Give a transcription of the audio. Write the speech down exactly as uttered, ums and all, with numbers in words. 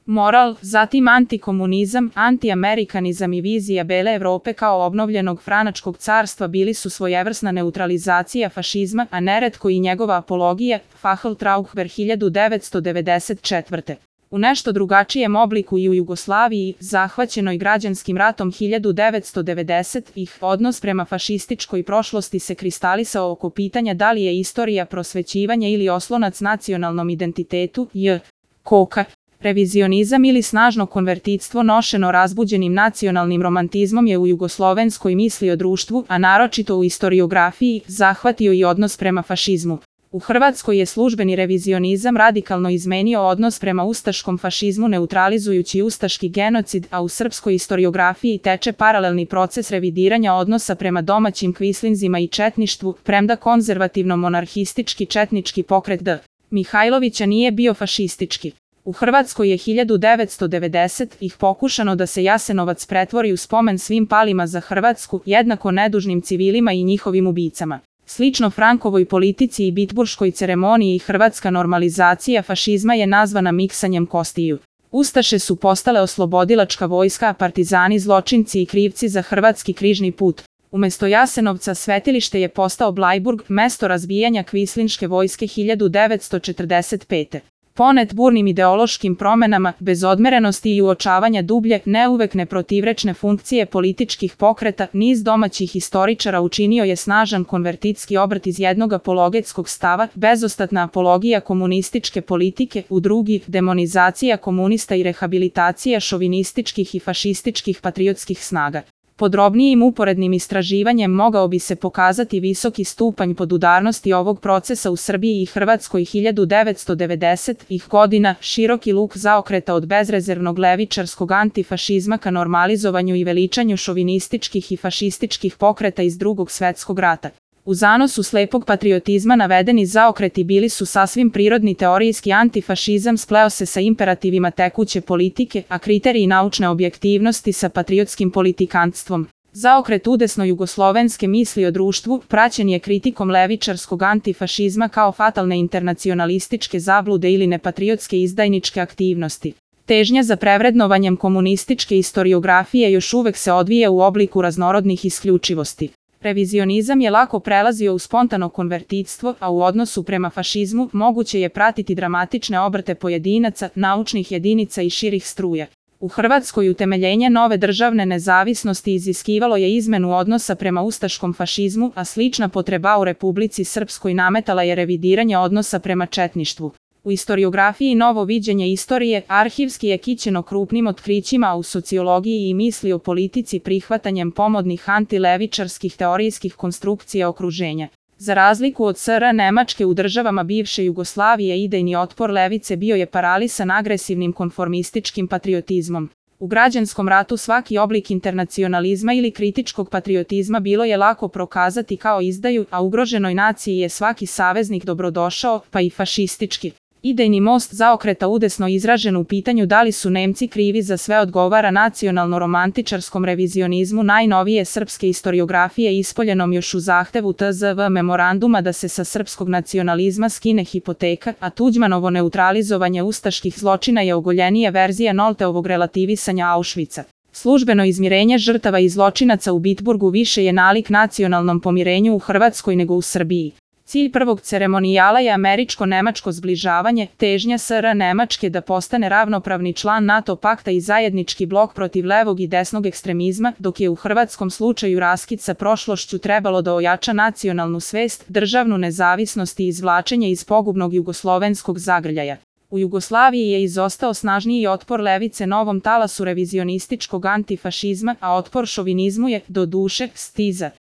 Moral, zatim antikomunizam, antiamerikanizam i vizija bele Evrope kao obnovljenog franačkog carstva bili su svojevrsna neutralizacija fašizma, a neretko i njegova apologija, Facheltrauber hiljadu devetsto devedeset četvrte. U nešto drugačijem obliku i u Jugoslaviji, zahvaćenoj građanskim ratom hiljadu devetsto devedesetih, odnos prema fašističkoj prošlosti se kristalisao oko pitanja da li je istorija prosvećivanja ili oslonac nacionalnom identitetu, j. Koka. Revizionizam ili snažno konvertitstvo nošeno razbuđenim nacionalnim romantizmom je u jugoslovenskoj misli o društvu, a naročito u istoriografiji, zahvatio i odnos prema fašizmu. U Hrvatskoj je službeni revizionizam radikalno izmenio odnos prema ustaškom fašizmu neutralizujući ustaški genocid, a u srpskoj istoriografiji teče paralelni proces revidiranja odnosa prema domaćim kvislinzima i četništvu, premda konzervativno-monarhistički četnički pokret D. Mihajlovića nije bio fašistički. U Hrvatskoj je hiljadu devetsto devedesetih pokušano da se Jasenovac pretvori u spomen svim palima za Hrvatsku, jednako nedužnim civilima i njihovim ubicama. Slično Frankovoj politici i bitburškoj ceremoniji hrvatska normalizacija fašizma je nazvana miksanjem kostiju. Ustaše su postale oslobodilačka vojska, a partizani zločinci i krivci za hrvatski križni put. Umesto Jasenovca svetilište je postao Blajburg, mesto razbijanja kvislinške vojske hiljadu devetsto četrdeset pete. Ponet burnim ideološkim promenama, bez odmerenosti i uočavanja dublje, ne uvek neprotivrečne funkcije političkih pokreta, niz domaćih historičara učinio je snažan konvertitski obrt iz jednog apologetskog stava, bezostatna apologija komunističke politike, u drugi, demonizacija komunista i rehabilitacija šovinističkih i fašističkih patriotskih snaga. Podrobnijim uporednim istraživanjem mogao bi se pokazati visoki stupanj podudarnosti ovog procesa u Srbiji i Hrvatskoj hiljadu devetsto devedesetih godina, široki luk zaokreta od bezrezervnog levičarskog antifašizma ka normalizovanju i veličanju šovinističkih i fašističkih pokreta iz Drugog svetskog rata. U zanosu slepog patriotizma navedeni zaokreti bili su sasvim prirodni teorijski antifašizam spleo se sa imperativima tekuće politike, a kriteriji naučne objektivnosti sa patriotskim politikantstvom. Zaokret udesno jugoslovenske misli o društvu praćen je kritikom levičarskog antifašizma kao fatalne internacionalističke zablude ili nepatriotske izdajničke aktivnosti. Težnja za prevrednovanjem komunističke istoriografije još uvek se odvija u obliku raznorodnih isključivosti. Revizionizam je lako prelazio u spontano konvertitstvo, a u odnosu prema fašizmu moguće je pratiti dramatične obrte pojedinaca, naučnih jedinica i širih struja. U Hrvatskoj utemeljenje nove državne nezavisnosti iziskivalo je izmenu odnosa prema ustaškom fašizmu, a slična potreba u Republici Srpskoj nametala je revidiranje odnosa prema četništvu. U istoriografiji novo viđenje istorije arhivski je kićeno krupnim otkrićima, a u sociologiji i misli o politici prihvatanjem pomodnih antilevičarskih teorijskih konstrukcija okruženja. Za razliku od S R Nemačke u državama bivše Jugoslavije idejni otpor levice bio je paralisan agresivnim konformističkim patriotizmom. U građanskom ratu svaki oblik internacionalizma ili kritičkog patriotizma bilo je lako prokazati kao izdaju, a ugroženoj naciji je svaki saveznik dobrodošao, pa i fašistički. Idejni most zaokreta udesno izražen u pitanju da li su Nemci krivi za sve odgovara nacionalno-romantičarskom revizionizmu najnovije srpske istoriografije ispoljenom još u zahtevu T Z V memoranduma da se sa srpskog nacionalizma skine hipoteka, a Tuđmanovo neutralizovanje ustaških zločina je ogoljenija verzija Nolteovog relativisanja Auschwitza. Službeno izmirenje žrtava i zločinaca u Bitburgu više je nalik nacionalnom pomirenju u Hrvatskoj nego u Srbiji. Cilj prvog ceremonijala je američko-nemačko zbližavanje, težnja S R Nemačke da postane ravnopravni član NATO pakta i zajednički blok protiv levog i desnog ekstremizma, dok je u hrvatskom slučaju raskid sa prošlošću trebalo da ojača nacionalnu svest, državnu nezavisnost i izvlačenje iz pogubnog jugoslovenskog zagrljaja. U Jugoslaviji je izostao snažniji otpor levice novom talasu revizionističkog antifašizma, a otpor šovinizmu je, do duše, stiza.